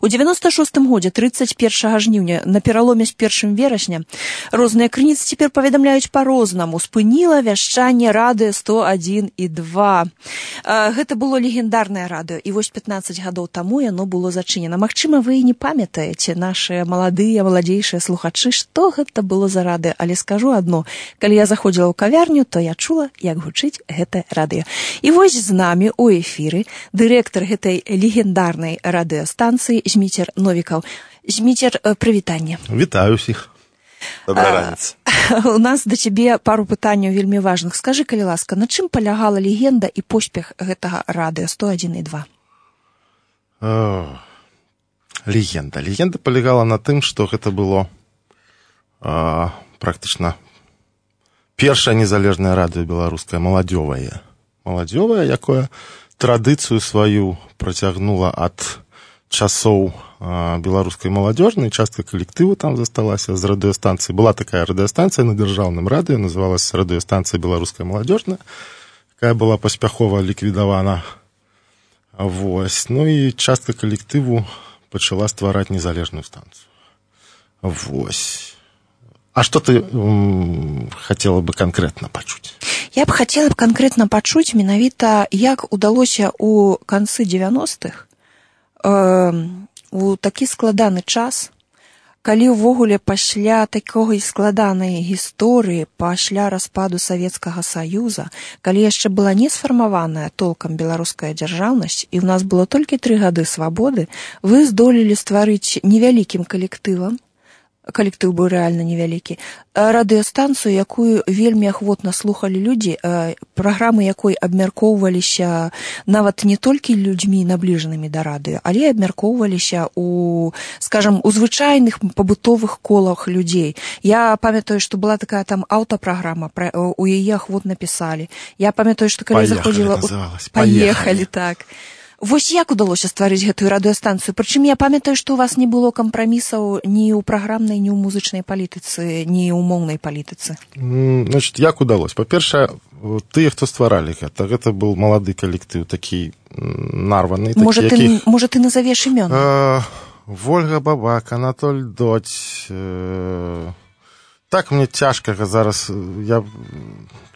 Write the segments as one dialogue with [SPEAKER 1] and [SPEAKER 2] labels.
[SPEAKER 1] У 96-м годзе, 31 жніўня, на пераломе з 1 верасня, розныя крыніцы цяпер паведамляюць па-рознаму. Спыніла вяшчанне радыё 101 і 2. Гэта было легендарнае радыё, і вось 15 гадоў таму яно было зачынена. Магчыма, вы і не памятаеце, нашыя маладзейшыя слухачы, што гэта было за радыё, але скажу адно. Калі я заходзіла ў кавярню, то я чула, як гучыць гэтае радыё. І вось з намі ў эфіры дырэктар гэтай легендарнай радыёстанцыі Зміцер Новікаў. Зміцер, прывітанне.
[SPEAKER 2] Вітаю ўсіх. Добрая раніца.
[SPEAKER 1] У нас да цябе пару пытанняў вельмі важных. Скажы, калі ласка, на чым палягала легенда і поспех гэтага радыё 101 і 2?
[SPEAKER 2] Легенда палягала на тым, што гэта было практычна першае незалежнае радыё беларускае, маладзёвае, якое традыцыю сваю працягнула ад часоў беларускай маладзёжнай, частка калектыву там засталася з радыёстанцыі. Была такая радыёстанцыя на дзяржаўным радыё, называлася радыёстанцыя беларуская маладзёжная, якая была паспяхова ліквідавана. Вось. Ну і частка калектыву пачала ствараць незалежную станцыю. Вось. А што ты хацела бы канкрэтна пачуць?
[SPEAKER 1] Я б хацела канкрэтна пачуць менавіта, як удалося ў канцы 90-х у такі складаны час, калі ўвогуле пасля такой складанай гісторыі, пасля распаду Савецкага Саюза, калі яшчэ была не сфармаваная толкам беларуская дзяржаўнасць, і ў нас было толькі 3 гады свабоды, вы здолелі стварыць невялікім калектывам, калектыў быў рэальна невялікі, радыёстанцыю, якую вельмі ахвотна слухалі людзі, праграмы якой абмяркоўваліся нават не толькі людзьмі набліжанымі да радыё, але абмяркоўваліся у, скажам, у звычайных пабытовых колах людзей. Я памятаю, што была такая там аўтапраграма, у яе ахвотна пісалі. Я памятаю, што калі заходзіла... Паехалі, так. Вось як удалося стварыць гэтую радыёстанцыю? Прычым я памятаю, што у вас не было кампрамісаў ні ў праграмнай, ні ў музычнай палітыцы, ні ў моўнай палітыцы.
[SPEAKER 2] Значит, як удалося? Па-першае, тыя, хто стваралі гэта быў малады калектыў, такі нарваны.
[SPEAKER 1] Можа, ты назавеш імёны?
[SPEAKER 2] Вольга Бабак, Анатоль Доць. Так мне цяжка зараз, я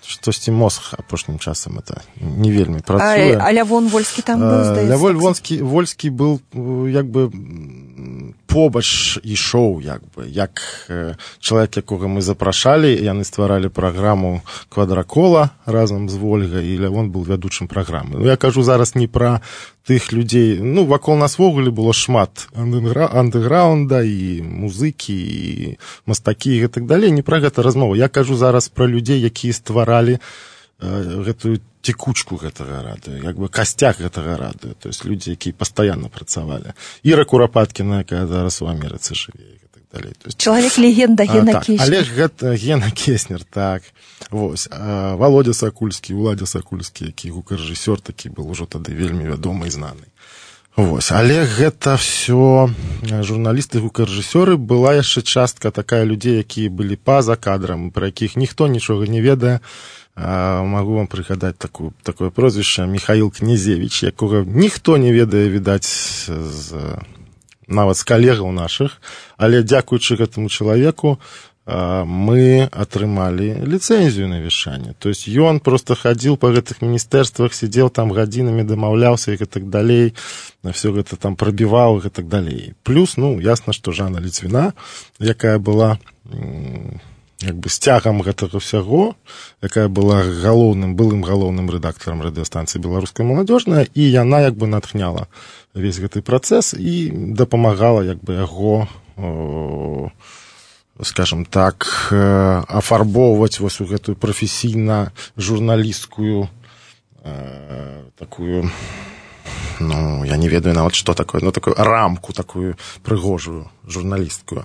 [SPEAKER 2] штосьці мозг апошнім часам это не вельмі працуе.
[SPEAKER 1] А Лявон Вольскі там быў, здаецца?
[SPEAKER 2] Лявон Вольскі быў як бы побач ішоў, як чалавек, якога мы запрашалі, яны стваралі праграму «Квадракола» разам з Вольгай, і Лявон быў вядучым праграмы. Я кажу зараз не пра тых людзей, вакол нас вогуле было шмат андэграунда і музыкі, і мастакі і так далей, не пра гэта размова. Я кажу зараз пра людзей, якія стваралі гэтую текучку гэтага радыё, як бы касцяк гэтага радыё, то есть людзі, якія пастаянна працавалі. Іра Курапаткіна, якая зараз у Амерыцы жыве, і так далей.
[SPEAKER 1] Чалавек-легенда Гена Кеснер.
[SPEAKER 2] Але гэта Гена Кеснер, так. Вось. Володя Сакульскі, Уладзя Сакульскі, які гукарэжысёр такі был ужо тады вельмі вядомы і знаны. Вось. Але гэта все журналісты, гукарэжысёры, была яшчэ частка такая людзей, якія былі па-за кадрам, пра якіх ніхто нічога не ведае. Магу вам прыгадаць такое прозвішча Михаил Князевич, якога ніхто не ведае, відаць, нават з калегаў нашых, але дзякуючы гэтаму чалавеку мы атрымалі ліцэнзію на вяшчанне. То есть ён просто хадзіў па гэтых міністэрствах, сидзеў там гадзінамі, дамаўляўся і гэтак далей, все гэта там прабіваў і гэтак далей. Плюс, ясна, што Жанна Ліцвіна, якая была як бы сцягам гэтага ўсяго, якая была былым галоўным рэдактарам радыёстанцыі «Беларуская маладзёжная», і яна як бы натхняла весь гэты працэс і дапамагала як бы яго, скажем так, афарбоўваць вось у гэтую прафесійна-журналісцкую такую, я не ведаю нават, што такое, такую рамку, такую прыгожую журналісткую.